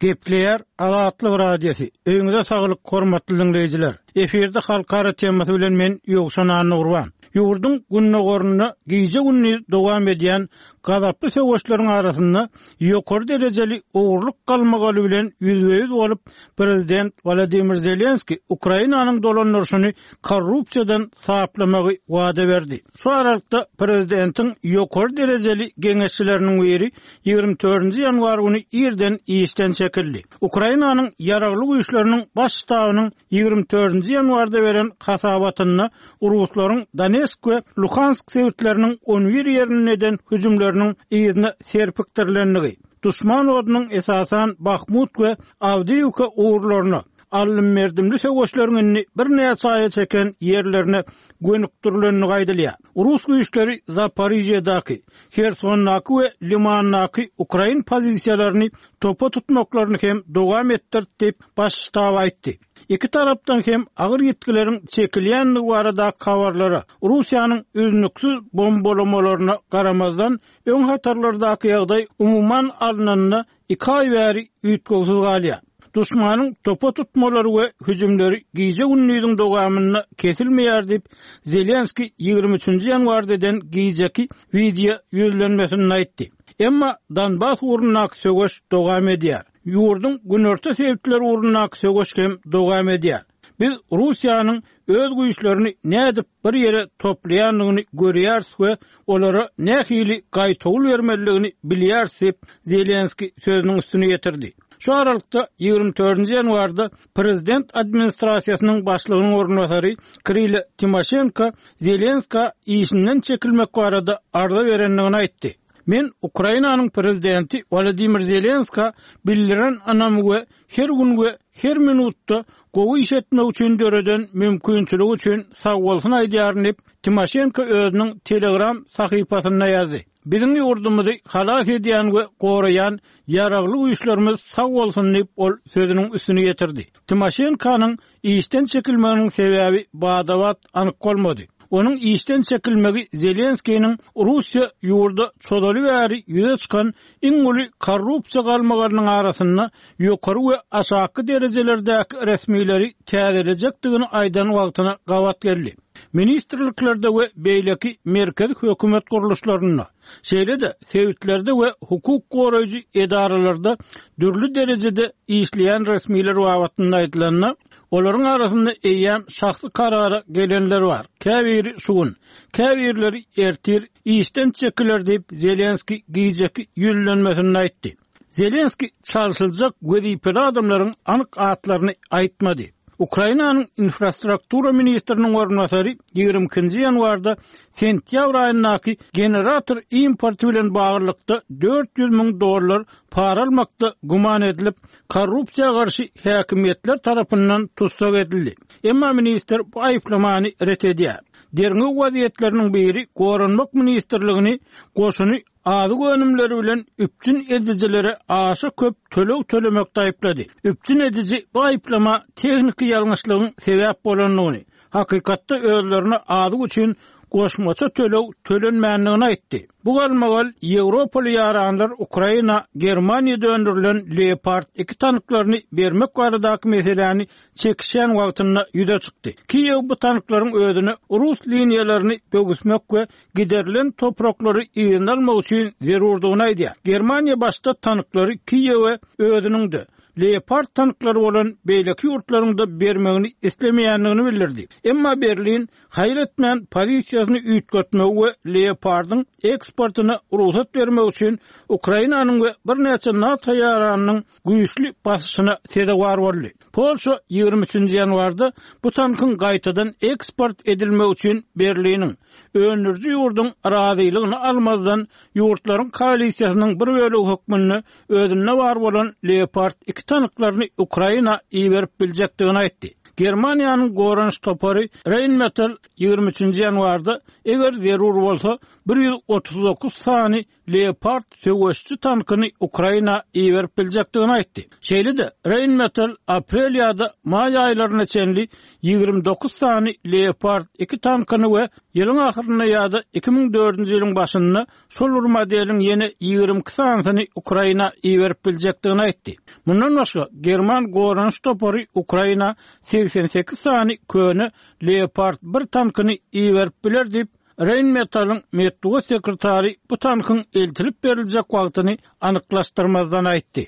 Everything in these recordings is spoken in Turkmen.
Gepleýär Azatlyk Radiosy. Öýüňize saglyk, hormatly diňleýjiler! Efirde Halkara temasy bilen men Ýowşan Annagurban. Ýurduň gündogarynda gije-gündiz dowam edýän gazaply söweşleriň arasynda ýokary derejeli ogurlyk galmagaly bilen ýüzbe-ýüz bolup, prezident Wolodymyr Zelenskiý Ukrainanyň dolandyryşyny korrupsiýadan saplamagy wada berdi. Şu aralykda, prezidentiň ýokary derejeli geňeşçileriniň biri 24 ýanwar güni irden işden çekildi. Ukrainanyň Ýaragly Güýçleriniň Baş ştabynyň 24 ýanwarda beren hasabatynda ruslaryň Donetsk we Luhansk sebitleriniň on bir ýerinde eden hüjümleriniň yzyna serpikdirilendigi, duşman odunyň esasan Bahmut we Awdiýiwka ugurlaryna, aldym-berdimli söweşleriň indi birnäçe aýa çeken ýerlerine gönükdirilendigi aýdylýar. Rus güýçleri Zaporižýadaky, Hersondaky we Limandaky ukrain pozisiýalaryny topa tutmaklaryny hem dowam etdirdi diýip, Baş ştab aýtdy. Iki tarapdan hem agyr ýitgileriň çekilýändigi baradaky habarlara, Russiýanyň üznüksiz bombalamalaryna garamazdan, öň hatarlardaky ýagdaý umuman alnanda iki aý bäri üýtgewsiz galýar. Duşmanyň topa tutmalary we hüjümleri gije-gündiziň dowamynda kesilmeýär diýip, Zelenskiý 23 ýanwarda eden gijeki wideo ýüzlenmesinde aýtdy. Emma Donbas ugrundaky söweş dowam edýär. Ýurduň günorta sebitleri ugrundaky söweş hem dowam edýär. Biz Russiýanyň öz güýçlerini nädip bir ýere toplaýandygyny görýäris we olara nähili gaýtawul bermelidigini bilýäris diýip, Zelenskiý sözüniň üstüni ýetirdi. Şu aralykda, 24 ýanwarda prezident administrasiýasynyň başlygynyň orunbasary Kirilo Timoşenko Zelenskä işinden çekilmek barada arza berendigini aýtdy. Men Ukrainanyň prezidenti Wolodymyr Zelenskä bildiren ynamy we her gün we her minutda gowy iş etmek üçin döreden mümkinçiligi üçin sagbolsun aýdýaryn diýip, Timoşenko özüniň Telegram sahypasynda ýazdy. Biziň ýurdumyzy halas edýän we goraýan Ýaragly Güýçlerimiz sag bolsun diýip, ol sözüniň üstüni ýetirdi. Timoşenkonyň işden çekilmeginiň sebäbi bada-bat anyk bolmady. Onuň işden çekilmegi Zelenskiniň Russiýa ýurda çozaly bäri ýüze çykan iň uly korrupsiýa galmagalynyň arasynda ýokary we aşaky derejelerdäki resmileri täzelejekdigini aýdan wagtyna gabat geldi. Ministrliklerde we beýleki merkezi hökümet gurluşlarynda, şeýle-de sebitlerde we hukuk goraýjy edaralarda dürli derejede işleýän resmiler babatynda aýdylanda, olaryň arasynda eýýäm şahsy karara gelenler bar, käbiri şu gün, käbirleri ertir işden çekiler diýip, Zelenskiý gijeki ýüzlenmesinde aýtdy. Zelenskiý çalşyljak wezipeli adamlaryň anyk atlaryny aýtmady. Ukrainanyň infrastruktura ministriniň orunbasary 22-nji ýanwarda sentýabr aýyndaky generator importy bilen baglylykda 400 müň dollar para almakda güman edilip, korrupsiýa garşy häkimiýetler tarapyndan tussag edildi. Emma ministr bu aýyplamany ret edýär. Derňew wezýetleriniň biri Goranmak ministrligini goşuny azyk önümleri bilen üpjün edijilere aşa köp töleg tölemekde aýyplady. Üpjün ediji bu aýyplama tehniki ýalňyşlygyň sebäp bolandygyny, hakykatda özlerine azyk üçin goşmaça töleg tölenmändigini aýtdy. Bu galmagal ýewropaly ýaranlar Ukraina Germaniýada öndürilen Leopard 2 tanklaryny bermek baradaky meseläni çekişýän wagtynda ýüze çykdy. Kiýew bu tanklaryň özüne rus liniýalaryny böwüsmek we giderilen topraklary yzyna almak üçin zerurdygyny aýdýar. Germaniýa başda tanklary Kiýewe özüniň-de, Leopard tanklary bolan beýleki ýurtlaryň-da bermegini islemeýändigini bildirdi. Emma Berlin haýal etmän pozisiýasyny üýtgetmegi we Leopardyň eksportyna rugsat bermek üçin Ukrainanyň we birnäçe NATO ýaranynyň güýçli basyşyna sezewar boldy. Polşa 23-nji ýanwarda bu tankyň gaýtadan eksport edilmegi üçin Berliniň, öndüriji ýurduň razylygyny almazdan ýurtlaryň koalisiýasynyň bir bölegi hökmünde özünde bar bolan Leopard 2 tanklaryny Ukraina iberip biljekdigini aýtdy. Germaniýanyň goranyş topary Rheinmetall 23-nji ýanwarda, eger zerur bolsa, 139 sany. Leopard söweşiji tankyny Ukraina iberip biljekdigini aýtdy. Şeýle-de, Rheinmetall aprel ýa-da maý aýlaryna çenli 29 sany Leopard 2 tankyny we ýylyň ahyrynda ýa-da 2004-nji ýylyň başynda şol bir modeliň ýene 22 sanysyny Ukraina iberip biljekdigini aýtdy. Mundan başga, german goranyş topary Ukraina 88 sany köne Leopard 1 tankyny iberip biler diýip, Rheinmetall-yň metbugat sekretary bu tankyň eltilip beriljek wagtyny anyklaşdyrmazdan aýtdy.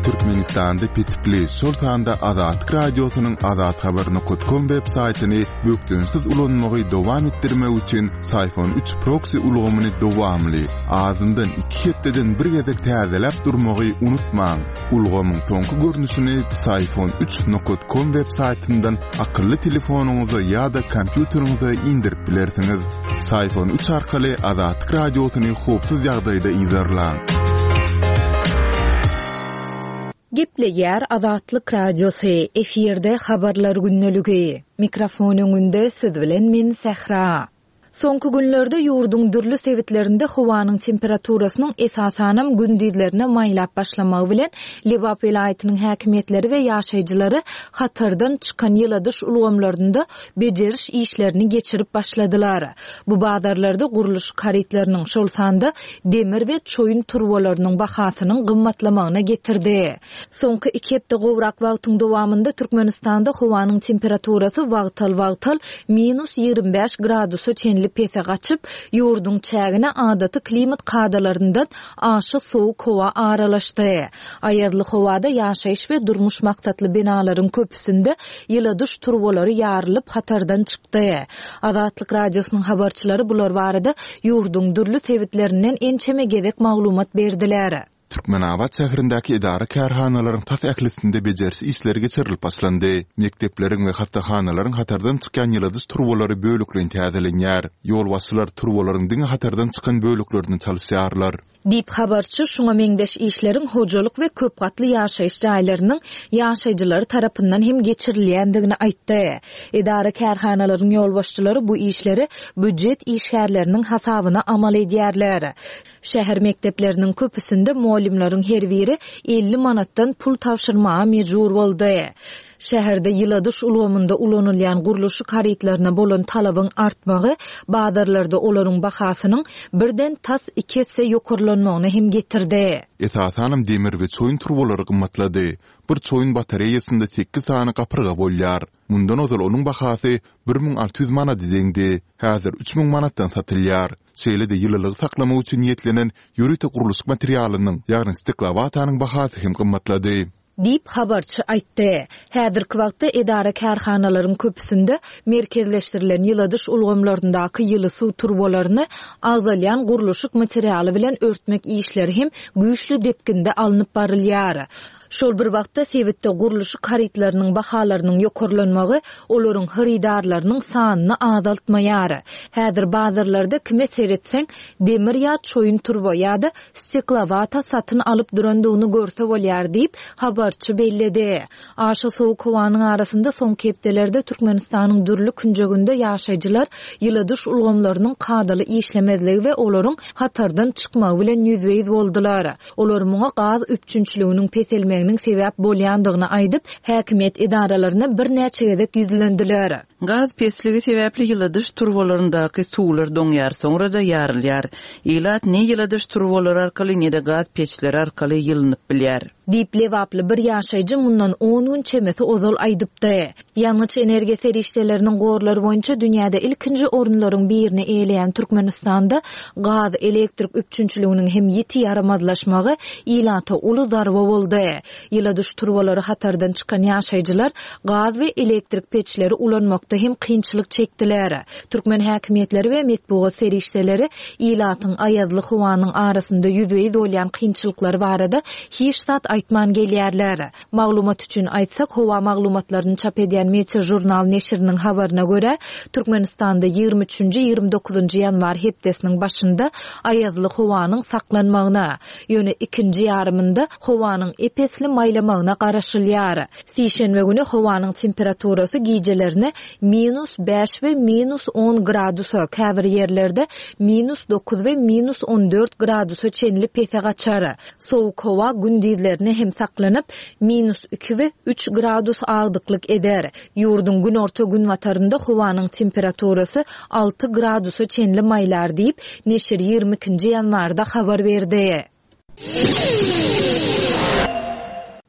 Türkmenistanda petikli, şol sanda Azatlyk Radiosynyň azathabar.com web saýtyny bökdençsiz ulanmagy dowam etdirmek üçin Syfon 3 proksi ulgamyny dowamly, azyndan iki hepdeden bir gezek täzeläp durmagy unutmaň. Ulgamyň soňky görnüşini Psiphon 3 nokat com web saýtyndan akylly telefonyňyza ýa-da kompýuteriňize indirip bilersiňiz. Psiphon 3 arkaly Azatlyk Radiosyny howpsuz ýagdaýda yzarlaň. Gepleýär Azatlyk Radiosy, efirde Habarlar gündeligi. Mikrofon öňünde siz bilen men Sähra. Soňky günlerde ýurduň dürli sebitlerinde howanyň temperaturasynyň esasanam gündizlerine maýlap başlamagy bilen, Lebap welaýatynyň häkimiýetleri we ýaşaýjylary hatardan çykan ýyladyş ulgamlarynda bejeriş işlerini geçirip başladylar. Bu bazarlarda gurluşyk harytlarynyň, şol sanda demir we çoýun turbalarynyň bahasynyň gymmatlamagyna getirdi. Soňky iki hepde gowrak wagtyň dowamynda Türkmenistanda howanyň temperaturasy wagtal-wagtal minus 25 gradusa çenli pese gaçyp, ýurduň çägine adaty klimat kadalaryndan aşa sowuk howa aralaşdy. Aýazly howada ýaşaýyş we durmuş maksatly binalaryň köpüsinde ýyladyş turbalary ýarylyp, hatardan çykdy. Azatlyk Radiosynyň habarçylary bular barada ýurduň dürli sebitlerinden ençeme gezek maglumat berdiler. Türkmenabat şäherindäki edara-kärhanalaryň tas ählisinde bejeriş işleri geçirilip başlandy. Mekdepleriň we hassahanalaryň hatardan çykýan ýyladyş turbalary bölekleýin täzelenýär. Ýolbaşçylar turbalaryň diňe hatardan çykan böleklerini çalyşýarlar. Diýip, habarçy şuňa meňzeş işleriň hojalyk we köp gatly ýaşaýyş jaýlarynyň ýaşaýjylary tarapyndan hem geçirilýändigini aýtdy. Edara-kärhanalaryň ýolbaşçylary bu işleri býujet işgärleriniň hasabyna amal edýärler. Şäher mekdepleriniň köpüsinde mugallymlaryň her biri 50 manatdan pul tabşyrmaga mejbur boldy. Şäherde ýyladyş ulgamynda ulanylýan gurluşyk harytlaryna bolan talabyň artmagy bazarlarda olaryň bahasynyň birden tas iki esse ýokarlanmagyna hem getirdi. Esasanam demir we çoýun turbalary gymmatlady. Bir çoýun batareýasynda sekiz sany gapyrga bolýar. Mundan ozal onuň bahasy 1600 manada deňdi. Häzir 3000 manatdan satylýar. Şeýle-de ýylylygy saklamak üçin niýetlenen ýörite gurluşyk materialynyň, ýagny steklowatanyň bahasy hem gymmatlady. Diýip, habarçy aýtdy. Häzirki wagtda edara-kärhanalaryň köpüsinde merkezleşdirilen ýyladyş ulgamlaryndaky ýyly suw turbalaryny agzalýan gurluşyk materialy bilen örtmek işleri hem güýçli depginde alnyp barylýar. Şol bir wagtda, sebitde gurluşyk harytlarynyň bahalarynyň ýokarlanmagy olaryň hyrydarlarynyň sanyny azaltmaýar. Häzir bazarlarda kime seretseň, demir ýa çoýun turba ýa-da steklowata satyn alyp durandygyny görse bolýar diýip, habarçy belledi. Aşa sowuk howanyň arasynda soňky hepdelerde Türkmenistanyň dürli künjeginde ýaşaýjylar ýyladyş ulgamlarynyň kadaly işlemezligi we olaryň hatardan çykmagy bilen ýüzbe-ýüz boldular. Olar muňa gaz üpjünçiliginiň peselmeginiň sebäp bolýandygyny aýdyp, häkimiýet edaralaryna birnäçe gezek ýüzlendiler. Gaz pesligi sebäpli ýyladyş turbalaryndaky suwlar doňýar, soňra-da ýarylýar. Ilat ne ýyladyş turbalary arkaly, ne-de gaz peçleri arkaly ýylynyp bilýär. Diýip, lebaply bir ýaşaýjy mundan on gün çemesi ozal aýdypdy. Ýangyç-energiýa serişdeleriniň gorlary boýunça dünýäde ilkinji orunlaryň birini eýeleýän Türkmenistanda gaz, elektrik üpjünçiliginiň hem ýiti ýaramazlaşmagy ilata uly zarba boldy. Ýyladyş turbalary hatardan çykan ýaşaýjylar gaz we elektrik peçleri ulanmakda hem kynçylyk çekdiler. Türkmen häkimiýetleri we metbugat serişdeleri ilatyň aýazly howanyň arasynda ýüzbe-ýüz bolýan kynçylyklary barada hiç zat aýtman gelýärler. Maglumat üçin aýtsak, howa maglumatlaryny çap edýän Meteožurnal neşiriniň habaryna görä, Türkmenistanda ýigrimi üçünji, ýigrimi dokuzynjy ýanwar hepdesiniň başynda aýazly howanyň saklanmagyna, ýöne ikinji ýarymynda howanyň ep-esli maýlamagyna garaşylýar. Sişenbe güni howanyň temperaturasy gijelerine. minus bäş we minus on gradusa, käbir ýerlerde minus dokuz we minus 14 gradusa çenli pese gaçar. Sowuk howa gündizlerine hem saklanyp, minus iki we üç gradus agdyklyk eder. Ýurduň günorta-günbatarynda howanyň temperaturasy alty gradusa çenli maýlar diýip, neşir 22 nji ýanwarda habar berdi.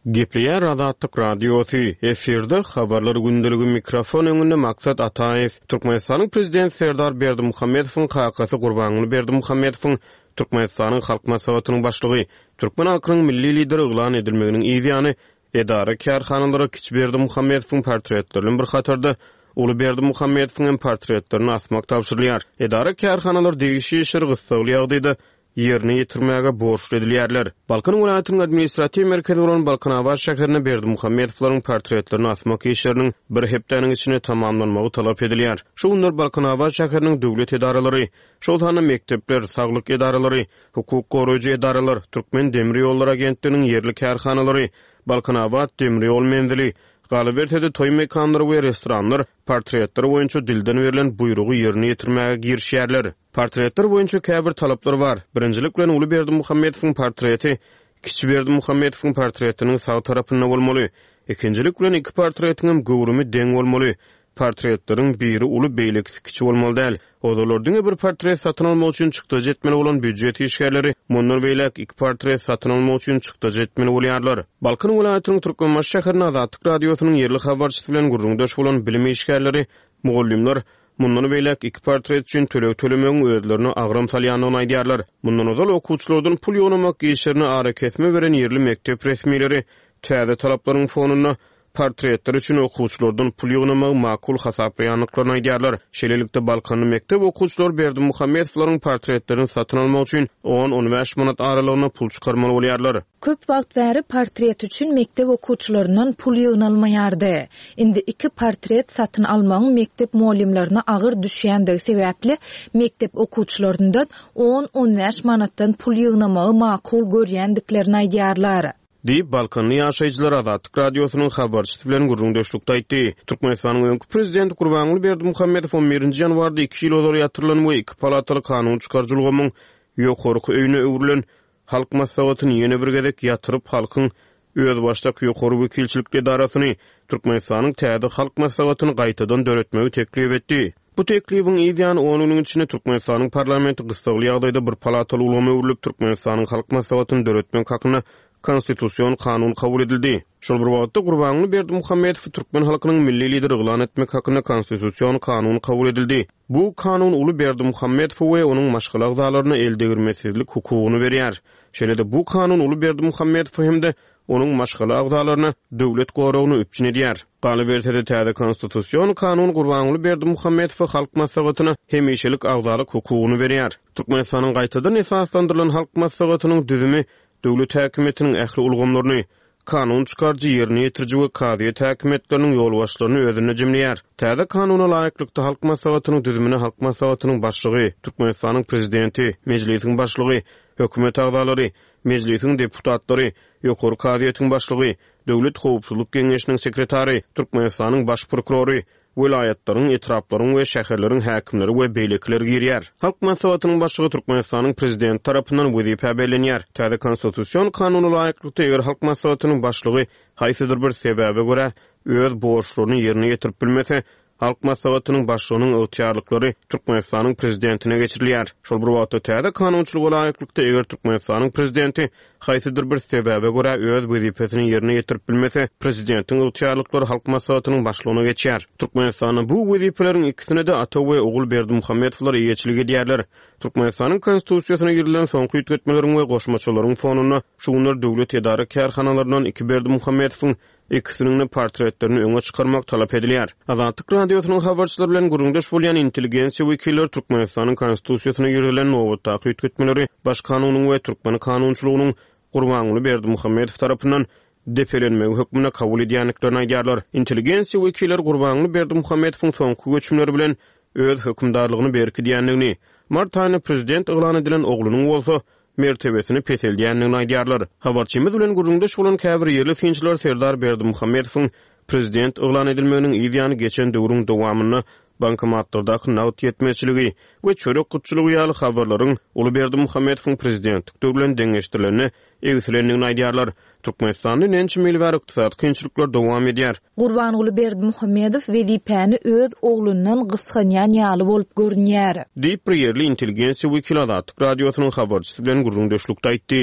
Gepleýär Azatlyk Radiosy, efirde Habarlar gündeligi mikrofon öňünde Maksat Ataýew. Türkmenistanyň Prezidenti Serdar Berdimuhamedowyň kakasy Gurbanguly Berdimuhamedowyň Türkmenistanyň Halk Maslahatynyň Başlygy, türkmen halkynyň Milli Lideri yglan edilmeginiň yz ýany edara-kärhanalara kiçi Berdimuhamedowyň portretleri bilen bir hatarda uly Berdimuhamedowyň hem portretlerini asmak tabşyrylýar. Edara-kärhanalar degişli işleri gyssagly ýagdaýda ýerine ýetirmäge borçly edilýärler. Balkan welaýatynyň administratiw merkezi bolan Balkanabat şäherinde Berdimuhamedowlaryň portretlerini asmak işleriniň bir hepdäniň içinde tamamlanmagy talap edilýär. Şu günler Balkanabat şäheriniň döwlet edaralary, şol sanda mekdepler, saglyk edaralary, hukuk goraýjy edaralar, Türkmen demir ýollary agentliginiň ýerli kärhanalary, Balkanabat demir ýol menzili, galyberse-de toý mekanlary we restoranlar portretler boýunça dilden berlen buýrugy ýerine ýetirmäge girişýärler. Portretler boýunça käbir talaplar bar. Birinjilik bilen uly Berdimuhamedowyň portreti kiçi Berdimuhamedowyň portretiniň sag tarapynda bolmaly. Ikinjilik bilen iki portretiňem göwrümi deň bolmaly. Portretleriň biri uly, beýlekisi kiçi bolmaly däl. Ozallar diňe bir portret satyn almak üçin çykdajy etmeli bolan býujet işgärleri mundan beýläk iki portret satyn almak üçin çykdajy etmeli bolýarlar. Balkan welaýatynyň Türkmenbaşy şäherinde Azatlyk Radiosynyň ýerli habarçysy bilen gürrüňdeş bolan bilim işgärleri, mugallymlar mundan beýläk iki portret üçin töleg tölemegiň özlerine agram salýandygyny aýdýarlar. Mundan ozal okuwçylardan pul ýygnamak işlerine arakesme beren ýerli mekdep resmileri täze talaplaryň fonunda portretler üçin okuwçylardan pul ýygnamagy makul hasaplaýandyklaryny aýdýarlar. Şeýlelikde, balkanly mekdep okuwçylary Berdimuhamedowlaryň portretlerini satyn almak üçin on-on bäş manat aralygynda pul çykarmaly bolýarlar. Köp wagt bäri portret üçin mekdep okuwçylaryndan pul ýygnalmaýardy. Indi iki portret satyn almagyň mekdep mugallymlaryna agyr düşýändigi sebäpli, mekdep okuwçylaryndan on-on bäş manatdan pul ýygnamagy makul görýändiklerini aýdýarlar. Diýip, balkanly ýaşaýjylar Azatlyk Radiosynyň habarçysy bilen gürrüňdeşlikde aýtdy. Türkmenistanyň öňki prezidenti Gurbanguly Berdimuhamedow on birinji ýanwarda iki ýyl ozal ýatyrylan we iki palataly kanun çykaryjy ulgamyň ýokarky öýüne öwrülen Halk Maslahatyny ýene bir gezek ýatyryp, halkyň özbaşdak ýokary wekilçilikli edarasyny, Türkmenistanyň täze Halk Maslahatyny gaýtadan döretmegi teklip etdi. Bu teklibiň yz ýany on günüň içinde Türkmenistanyň parlamenti gyssagly ýagdaýda bir palataly ulgama öwrülip, Türkmenistanyň Halk Maslahatyny döretmek hakynda Konstitusion kanun kabul edildi. Şol bir wagtda Gurbanguly Berdimuhamedowy türkmen halkynyň Milli Lideri yglan etmek hakynda Konstitusion kanun kabul edildi. Bu kanun uly Berdimuhamedowa we onuň maşgala agzalaryna eldegirmesizlik hukugyny berýär. Şeýle-de bu kanun uly Berdimuhamedowa hem-de onuň maşgala agzalaryna döwlet goragyny üpjün edýär. Galyberse-de, täze Konstitusion kanun Gurbanguly Berdimuhamedowa Halk Maslahatyna hemişelik agzalyk hukugyny berýär. Türkmenistanyň gaýtadan esaslandyrylan Halk Maslahatynyň düzümi döwlet häkimiýetiniň ähli ulgamlaryny, kanun çykaryjy, ýerine ýetiriji we kazyýet häkimiýetleriniň ýolbaşçylaryny özünde jemleýär. Täze Kanuna laýyklykda, Halk Maslahatynyň düzümine Halk Maslahatynyň Başlygy, Türkmenistanyň Prezidenti, Mejlisiň Başlygy, Hökümet agzalary, Mejlisiň deputatlary, Ýokary kazyýetiň başlygy, Döwlet howpsuzlyk geňeşiniň sekretary, Türkmenistanyň Baş prokurory, welaýatlaryň, etraplaryň we şäherleriň häkimleri we beýlekiler girýär. Halk Maslahatynyň başlygy Türkmenistanyň Prezidenti tarapyndan wezipä bellenýär. Täze Konstitusion kanuna laýyklykda, eger Halk Maslahatynyň başlygy haýsydyr bir sebäbe görä öz borçlaryny ýerine ýetirip bilmese, Halk Maslahatynyň Başlygynyň ygtyýarlyklary Türkmenistanyň Prezidentine geçirilýär. Şol bir wagtda, täze kanunçylyga laýyklykda, eger Türkmenistanyň Prezidenti haýsydyr bir sebäbe görä öz wezipesini ýerine ýetirip bilmese, Prezidentiň ygtyýarlyklary Halk Maslahatynyň Başlygyna geçýär. Türkmenistanda bu wezipeleriň ikisine-de ata we ogul Berdimuhamedowlar eýeçilik edýärler. Türkmenistanyň Konstitusiýasyna girizilen soňky üýtgetmeleriň we goşmaçalaryň fonunda şu günler döwlet edara-kärhanalaryndan iki Berdimuhamedowyň Ikisiniň-de portretlerini öňe çykarmak talap edilýär. Azatlyk Radiosynyň habarçylary bilen gürrüňdeş bolýan intelligensiýa wekilleri Türkmenistanyň Konstitusiýasyna girizilen nobatdaky üýtgetmeleri Baş kanunyň we türkmen kanunçylygynyň Gurbanguly Berdimuhamedow tarapyndan depelenmegi hökmünde kabul edýändiklerini aýdýarlar. Intelligensiýa wekilleri Gurbanguly Berdimuhamedowyň soňky göçümleri bilen öz hökümdarlygyny berkidýändigini, mart aýynda prezident yglan edilen oglunyň bolsa mertebesini peseldýändigini aýdýarlar. Habarçymyz bilen gürrüňdeş bolan käbir ýerli synçylar Serdar Berdimuhamedowyň. prezident yglan edilmeginiň yz ýany geçen döwrüň dowamynda bankomatlardaky nagt ýetmezçiligi we çörek gytçylygy ýaly habarlaryň uly Berdimuhamedowyň prezidentlik döwri bilen deňeşdirilende egsilendigini aýdýarlar. Türkmenistanda ençeme ýyl bäri ykdysady kynçylyklar dowam edýär. Gurbanguly Berdimuhamedow wezipäni öz oglundan gysganýan ýaly bolup görünýär. Diýip, bir ýerli intelligensiýa wekili Azatlyk Radiosynyň habarçysy bilen gürrüňdeşlikde aýtdy.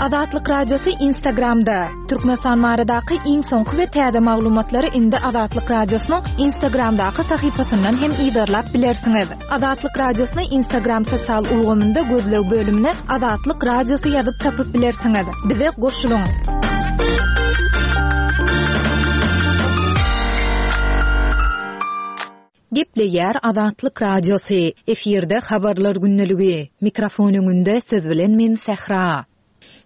Azatlyk Radiosy Instagramda, Türkmenistan baradaky iň soňky we täze maglumatlary indi Azatlyk Radiosynyň Instagramdaky sahypasyndan hem yzarlap bilersiňiz. Azatlyk Radiosyny Instagram sosial ulgamynda gözleg bölümine Azatlyk Radiosy ýazyp tapyp bilersiňiz. Bize goşulyň! Gepleýär Azatlyk Radiosy, efirde Habarlar gündeligi. Mikrofon öňünde siz bilen men Sähra.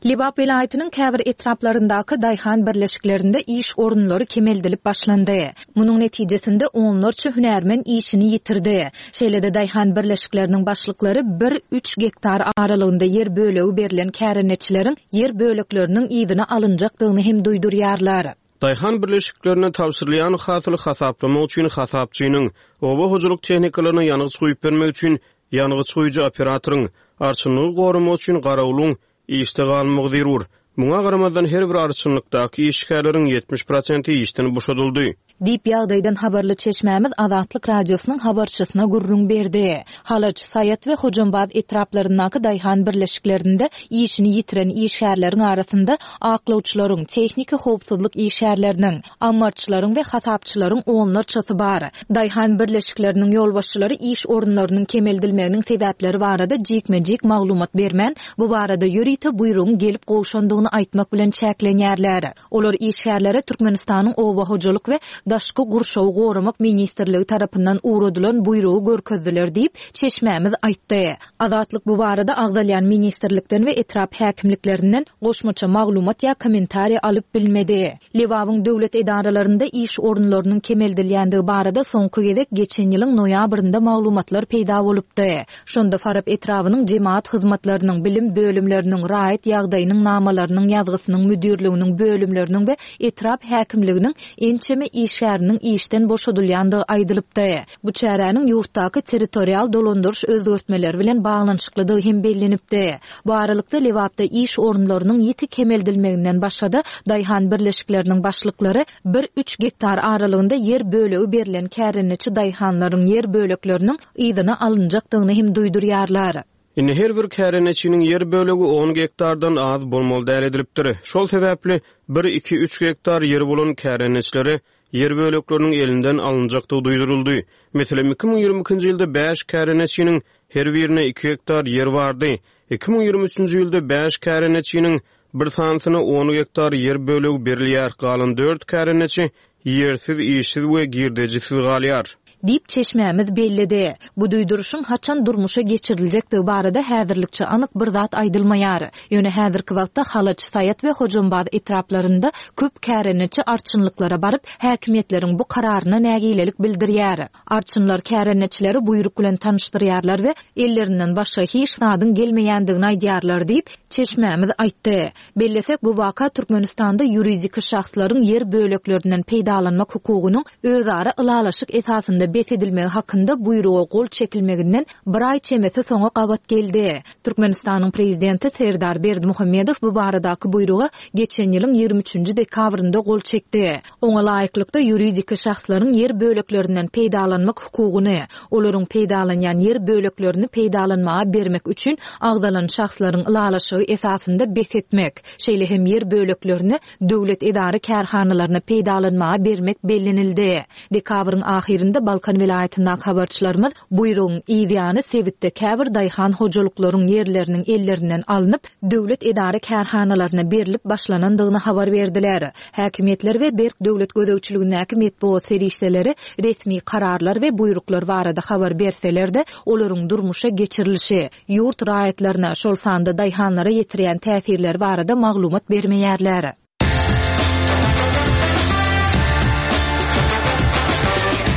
Lebap welaýatynyň käbir etraplaryndaky daýhan birleşiklerinde iş orunlary kemeldilip başlandy. Munuň netijesinde onlarça hünärmen işini ýitirdi. Şeýle-de daýhan birleşikleriniň başlyklary bir, üç gektar aralygynda ýer bölegi berlen kärendeçileriň ýer bölekleriniň yzyna alynjakdygyny hem duýdurýarlar. Daýhan birleşiklerine tabşyrylýan hasyly hasaplamak üçin hasapçynyň, oba hojalyk tehnikalaryna ýangyç guýup bermek üçin ýangyç guýujy operatoryň, arçynlygy goramak üçin garawulyň işde galmagy zerur. Muňa garamazdan, her bir arçynlykdaky işgärleriň 70 prosenti işden boşadyldy. Diýip, ýagdaýdan habarly çeşmämiz Azatlyk Radiosynyň habarçysyna gürrüň berdi. Halaç, Saýat we Hojambaz etraplaryndaky daýhan birleşiklerinde işini ýitiren işgärleriň arasynda aklawçylaryň, tehniki howpsuzlyk işgärleriniň, ammarçylaryň we hasapçylaryň onlarçasy bar. Daýhan birleşikleriniň ýolbaşçylary iş orunlarynyň kemeldilmeginiň sebäpleri barada jikme-jik maglumat bermän, bu barada ýörite buýrugyň gelip gowşandygyny aýtmak bilen çäklenýärler. Olar işgärlere Türkmenistanyň Oba hojalyk we daşky gurşawy goramak ministrligi tarapyndan ugradylan buýrugy görkezdiler diýip, çeşmämiz aýtdy. Azatlyk bu barada agzalýan ministrlikden we etrap häkimliklerinden goşmaça maglumat ýa kommentariý alyp bilmedi. Lebabyň döwlet edaralarynda iş orunlarynyň kemeldilýändigi barada soňky gezek geçen ýylyň noýabrynda maglumatlar peýda bolupdy. Şonda Farap etrabynyň jemagat hyzmatlarynyň, bilim bölümleriniň, raýat ýagdaýynyň namalarynyň ýazgysynyň müdirliginiň bölümleriniň we etrap häkimliginiň ençeme işgäriniň işden boşadylýandygy aýdylypdy. Bu çäräniň ýurtdaky territorial dolandyryş özgertmeleri bilen baglanyşyklydygy hem bellenipdi. Bu aralykda, Lebapda iş orunlarynyň ýiti kemeldilmeginden başga-da, daýhan birleşikleriniň başlyklary bir-üç gektar aralygynda ýer bölegi berlen kärendeçi daýhanlaryň ýer bölekleriniň yzyna alynjakdygyny hem duýdurýarlar. Indi her bir kärendeçiniň ýer bölegi on gektardan az bolmaly däl edilipdir. Şol sebäpli, bir, iki, üç gektar ýeri bolan kärendeçilere ýer bölekleriniň elinden alynjakdygy duýduryldy. Meselem, 2022-nji ýylda bäş kärendeçiniň her birine iki gektar ýer bardy. 2023-nji ýylda bäş kärendeçiniň bir sanysyna on gektar ýer bölegi berilýär, galan dört kärendeçi ýersiz, işsiz we girdejisiz galýar. Diýip, çeşmämiz belledi. Bu duýduryşyň haçan durmuşa geçiriljekdigi barada häzirlikçe anyk bir zat aýdylmaýar. Ýöne häzirki wagtda Halaç, Saýat we Hojambaz etraplarynda köp kärendeçi arçynlyklara baryp, häkimiýetleriň bu kararyna nägilelik bildirýär. Arçynlar kärendeçileri buýruk bilen tanyşdyrýarlar we ellerinden başga hiç zadyň gelmeýändigini aýdýarlar diýip, çeşmämiz aýtdy. Bellesek, bu waka Türkmenistanda ýuridik şahslaryň ýer böleklerinden peýdalanmak hukugynyň özara ylalaşyk esasynda bes edilmegi hakynda buýruga gol çekilmeginden bir aý çemesi soňa gabat geldi. Türkmenistanyň Prezidenti Serdar Berdimuhamedow bu baradaky buýruga geçen ýylyň ýigrimi üçünji dekabrynda gol çekdi. Oňa laýyklykda, ýuridik şahslaryň ýer böleklerinden peýdalanmak hukugyny, olaryň peýdalanýan ýer böleklerini peýdalanmaga bermek üçin agzalan şahslaryň ylalaşygy esasynda bes etmek, şeýle hem ýer böleklerini döwlet edara-kärhanalaryna peýdalanmaga bermek bellenildi. Dekabryň ahyrynda Balkan welaýatyndaky habarçylarymyz Buýrugyň yz ýany sebitde käbir daýhan hojalyklaryň ýerleriniň ellerinden alnyp, döwlet edara-kärhanalaryna berlip başlanandygyny habar berdiler. Häkimiýetler we berk döwlet gözegçiligindäki metbugat serişdeleri resmi kararlar we buýruklar barada habar berseler-de, olaryň durmuşa geçirilişi, ýurt raýatlaryna, şol sanda daýhanlara ýetirýän täsirleri barada maglumat bermeýärler.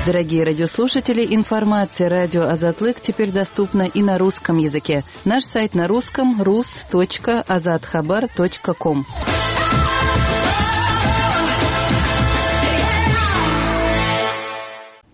Дорогие радиослушатели, информация радио Азатлык теперь доступна и на русском языке. Наш сайт на русском rus.azathabar.com.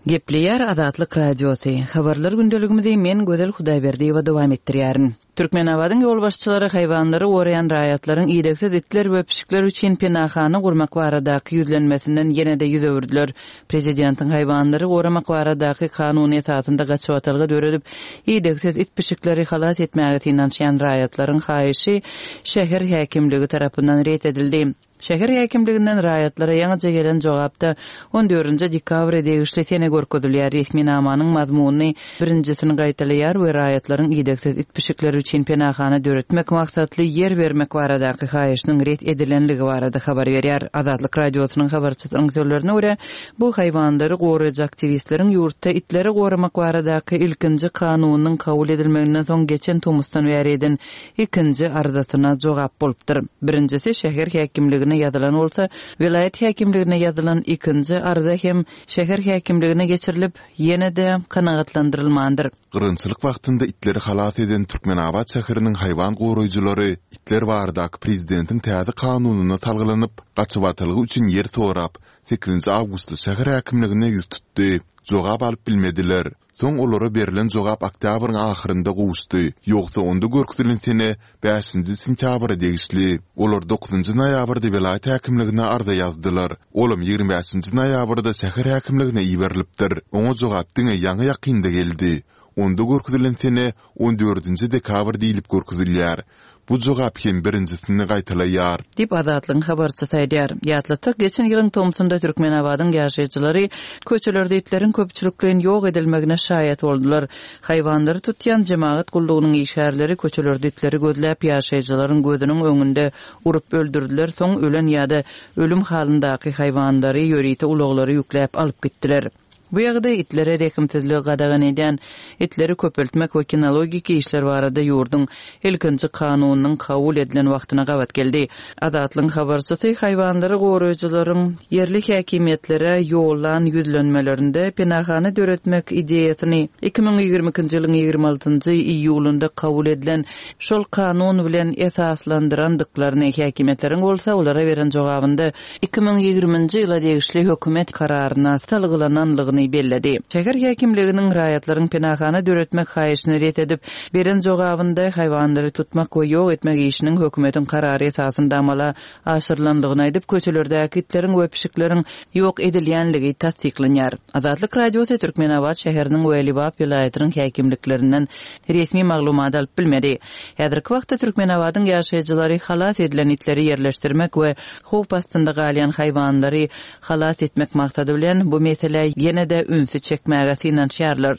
Gepleýär Azatlyk Radiosy. Habarlar gündeligimizi men Gözel Hudaýberdiýewa dowam etdirýärin. Türkmenabadyň ýolbaşçylary haýwanlary goraýan raýatlaryň idegsiz itler we pişikler üçin penahana gurmak baradaky ýüzlenmesinden ýene-de ýüz öwürdiler. Prezidentiň haýwanlary goramak baradaky kanuny esasynda gaçybatalga döredip, idegsiz it-pişikleri halas etmäge synanyşýan raýatlaryň haýyşy şäher häkimligi tarapyndan ret edildi. Şäher häkimliginden raýatlara ýaňyja gelen jogapda on dördünji dekabra degişli sene görkezilýär. Resminamanyň mazmuny birinjisini gaýtalaýar we raýatlaryň idegsiz it-pişikleri üçin penahana döretmek maksatly ýer bermek baradaky haýyşynyň ret edilenligi barada habar berýär. Azatlyk Radiosynyň habarçysynyň sözlerine görä, bu haýwanlary goraýjy aktiwistleriň ýurtda itleri goramak baradaky ilkinji kanunyň kabul edilmeginden soň geçen tomusdan bäri eden ikinji arzasyna jogap bolupdyr. Birinjisi şäher häkimligine ýazylan bolsa, welaýat häkimligine ýazylan ikinji arza hem şäher häkimligine geçirilip, ýene-de kanagatlandyrylmandyr. Gyrgynçylyk wagtynda itleri halas eden Türkmenabat şäheriniň haýwan goraýjylary itler baradaky prezidentiň täze kanunyna salgylanyp, gaçybatalga üçin ýer sorap, sekizinji awgustda şäher häkimligine ýüz tutdy. Jogap alyp bilmediler. Soň olara berlen jogap oktýabryň ahyrynda gowuşdy, ýogsa onda görkezilen sene bäşinji sentýabra degişli. Olar dokuzynjy noýabrda welaýat häkimligine arza ýazdylar. Olam 25 bäşinji noýabrda şäher häkimligine iberilipdir. Oňa jogap diňe ýaňy-ýakynda geldi. Onda görkezilen sene on dördünji dekabr diýlip görkezilýär. Bu jogap hem birinjisini gaýtalaýar. Diýip, Azatlygyň habarçysy aýdýar. Ýatlatsak, geçen ýylyň tomsunda Türkmenabadyň ýaşaýjylary köçelerde itleriň köpçülikleýin ýok edilmegine şaýat boldular. Haýwanlary tutýan jemagat gullugynyň işgärleri köçelerde itleri gözläp, ýaşaýjylaryň gözüniň öňünde urup öldürdiler, soň ölen ýa-da ölüm halyndaky haýwanlary ýörite ulaglara ýükläp alyp gitdiler. Bu ýagdaý itlere rehimsizligi gadagan edýän itleri köpeltmek we kinologik işler barada ýurduň ilkinji kanunynyň kabul edilen wagtyna gabat geldi. Azatlygyň habarçysy haýwanlary goraýjylaryň ýerli häkimiýetlere ýollan ýüzlenmelerinde penahana döretmek ideýasyny 2022-nji ýylyň 26-njy iýulynda kabul edilen şol kanun bilen esaslandyrandyklaryny, häkimiýetleriň bolsa olara beren jogabynda 2020-nji ýyla degişli hökümet kararyna salgylananlygyny belledi. Şäher häkimliginiň raýatlaryň penahana döretmek haýyşyny ret edip, beren jogabynda haýwanlary tutmak we ýok etmek işiniň hökümetiň karary esasynda amala aşyrylanlygyny aýdyp, köçelerdäki itleriň we pişikleriň ýok edilýänligi tassyklanýar. Azatlyk Radiosy Türkmenabat şäheriniň we Lebap welaýatynyň häkimliklerinden resmi maglumat alyp bilmedi. Häzirki wagtda Türkmenabadyň ýaşaýjylary halas edilen itleri ýerleşdirmek we howp astynda galýan haýwanlary halas etmek maksady bilen, bu meselä ýene-de ünsi çekmäge synanyşýarlar.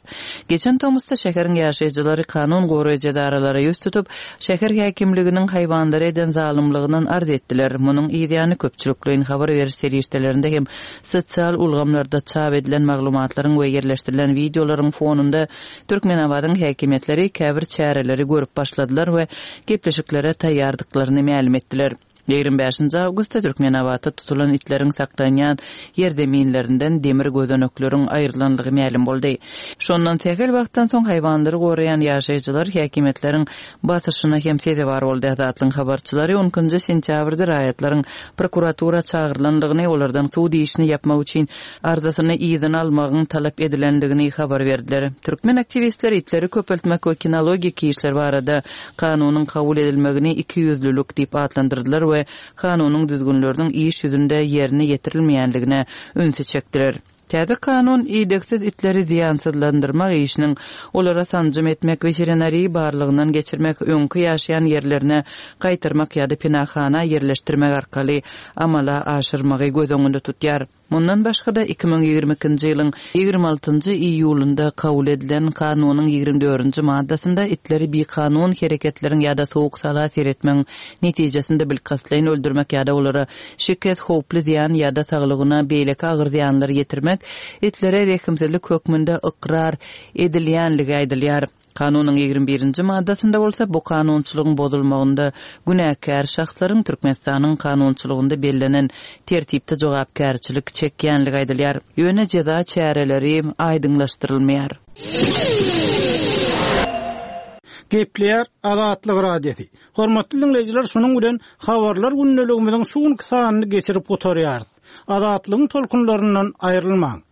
Geçen tomusda şäheriň ýaşaýjylary kanun goraýjy edaralara ýüz tutup, şäher häkimliginiň haýwanlara eden zalymlygyndan arz etdiler. Munuň yzýany köpçülikleýin habar beriş serişdelerinde hem sosial ulgamlarda çap edilen maglumatlaryň we ýerleşdirilen wideolaryň fonunda Türkmenabadyň häkimiýetleri käbir çäreleri görüp başladylar we gepleşiklere taýýardyklaryny mälim etdiler. 25-nji awgustda Türkmenabatda tutulan itleriň saklanýan ýerzeminlerinden demir gözenekleriň aýrylandygy mälim boldy. Şondan sähel wagtdan soň haýwanlary goraýan ýaşaýjylar häkimiýetleriň basyşyna hem sezewar boldy. Azatlygyň habarçylary on ikinji sentýabrda raýatlaryň prokuratura çagyrylandygyny, olardan sud işini ýapmak üçin arzasyny yzyna almagyň talap edilendigini habar berdiler. Türkmen aktiwistleri itleri köpeltmek we kinologik işler barada kanunyň kabul edilmegini ikiýüzlülik diýip atlandyrdylar we kanunyň düzgünleriniň iş ýüzünde ýerine ýetirilmeýänligine ünsi çekdiler. Täze kanun idegsiz itleri zyýansyzlandyrmak işiniň, olara sanjym etmek, weterinariýa barlagyndan geçirmek, öňki ýaşaýan ýerlerine gaýtarmak ýa-da penahana ýerleşdirmek arkaly amala aşyrmagy göz öňünde tutýar. Mundan başga-da, 2022-nji ýylyň 26-njy iýulynda kabul edilen Kanunyň 24-nji maddasynda itleri bikanun hereketleriň ýa-da sowuk-sala seretmegiň netijesinde bilkastlaýyn öldürmek ýa-da olara şikes, howply zyýan ýa-da saglygyna beýleki agyr zyýanlar ýetirmek itlere rehimsizlik hökmünde ykrar edilýänligi aýdylýar. Kanunyň 21-nji maddasynda bolsa bu kanunçylygyň bozulmagynda günäkär şahslaryň Türkmenistanyň kanunçylygynda bellenen tertipde jogapkärçilik çekýänligi aýdylýar. Ýöne jeza çäreleri aýdyňlaşdyrylmaýar. Gepleýär Azatlyk Radiosy. Hormatly diňleýjiler şunuň bilen Habarlar gündeligimiziň şu günki sanyny geçirip gutarýarys. Azatlygyň tolkunlaryndan aýrylmaň.